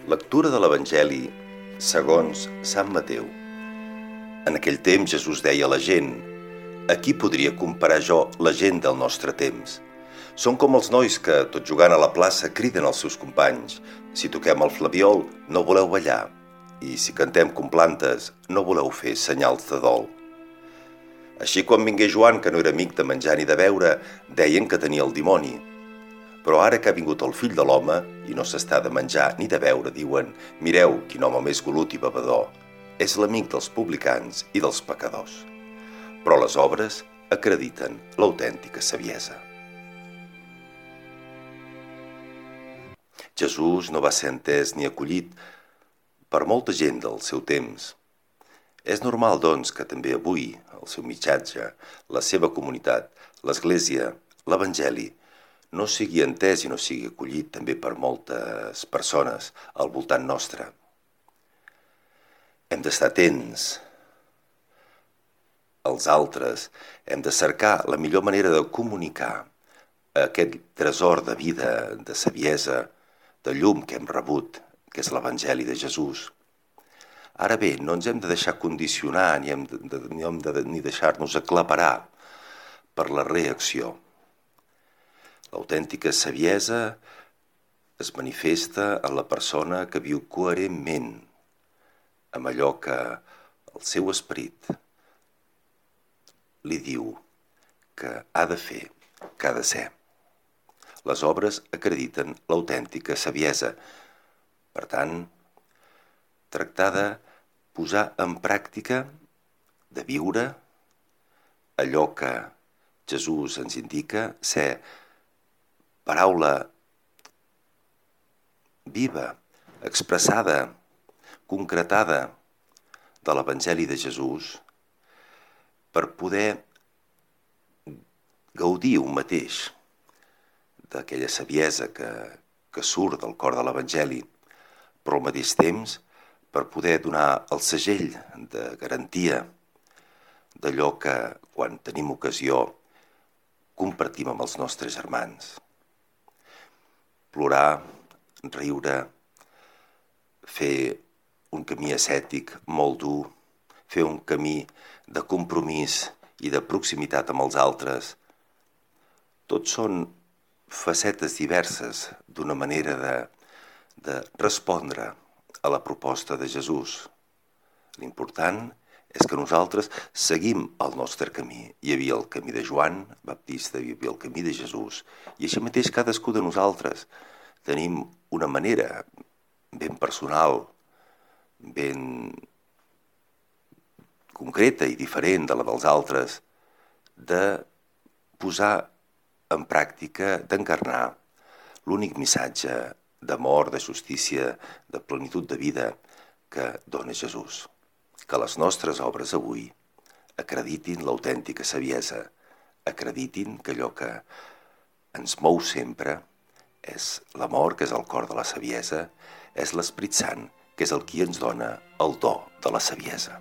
Lectura de l'Evangeli segons Sant Mateu. En aquell temps Jesús deia a la gent: «A qui podria comparar jo la gent del nostre temps? Són com els nois que, tot jugant a la plaça, criden als seus companys: si toquem el flabiol, no voleu ballar, i si cantem com plantes, no voleu fer senyals de dol». Així, quan vingué Joan, que no era amic de menjar ni de beure, deien que tenia el dimoni. Però ara que ha vingut el Fill de l'Home i no s'està de menjar ni de beure, diuen: «Mireu, quin home més golut i bevedor! És l'amic dels publicans i dels pecadors». Però les obres acrediten l'autèntica saviesa. Jesús no va ser entès ni acollit per molta gent del seu temps. És normal, doncs, que també avui el seu missatge, la seva comunitat, l'Església, l'Evangeli, no sigui entès i no sigui acollit també per moltes persones al voltant nostre. Hem d'estar atents als altres, hem de cercar la millor manera de comunicar aquest tresor de vida, de saviesa, de llum que hem rebut, que és l'Evangeli de Jesús. Ara bé, no ens hem de deixar condicionar ni hem de deixar-nos aclaparar per la reacció. L'autèntica saviesa es manifesta en la persona que viu coherentment amb allò que el seu esperit li diu que ha de fer, que ha de ser. Les obres acrediten l'autèntica saviesa. Per tant, tractar de posar en pràctica, de viure allò que Jesús ens indica, ser paraula viva, expressada, concretada de l'Evangeli de Jesús, per poder gaudir un mateix d'aquella saviesa que surt del cor de l'Evangeli, però al mateix temps per poder donar el segell de garantia d'allò que, quan tenim ocasió, compartim amb els nostres germans. Plorar, riure, fer un camí ascètic molt dur, fer un camí de compromís i de proximitat amb els altres, tot són facetes diverses d'una manera de respondre a la proposta de Jesús. L'important és que nosaltres seguim el nostre camí. Hi havia el camí de Joan Baptista, hi havia el camí de Jesús, i així mateix cadascú de nosaltres tenim una manera ben personal, ben concreta i diferent de la dels altres, de posar en pràctica, d'encarnar l'únic missatge d'amor, de justícia, de plenitud de vida que dona Jesús. Que les nostres obres avui acreditin l'autèntica saviesa, acreditin que allò que ens mou sempre és l'amor, que és el cor de la saviesa, és l'Esperit Sant, que és el qui ens dona el do de la saviesa.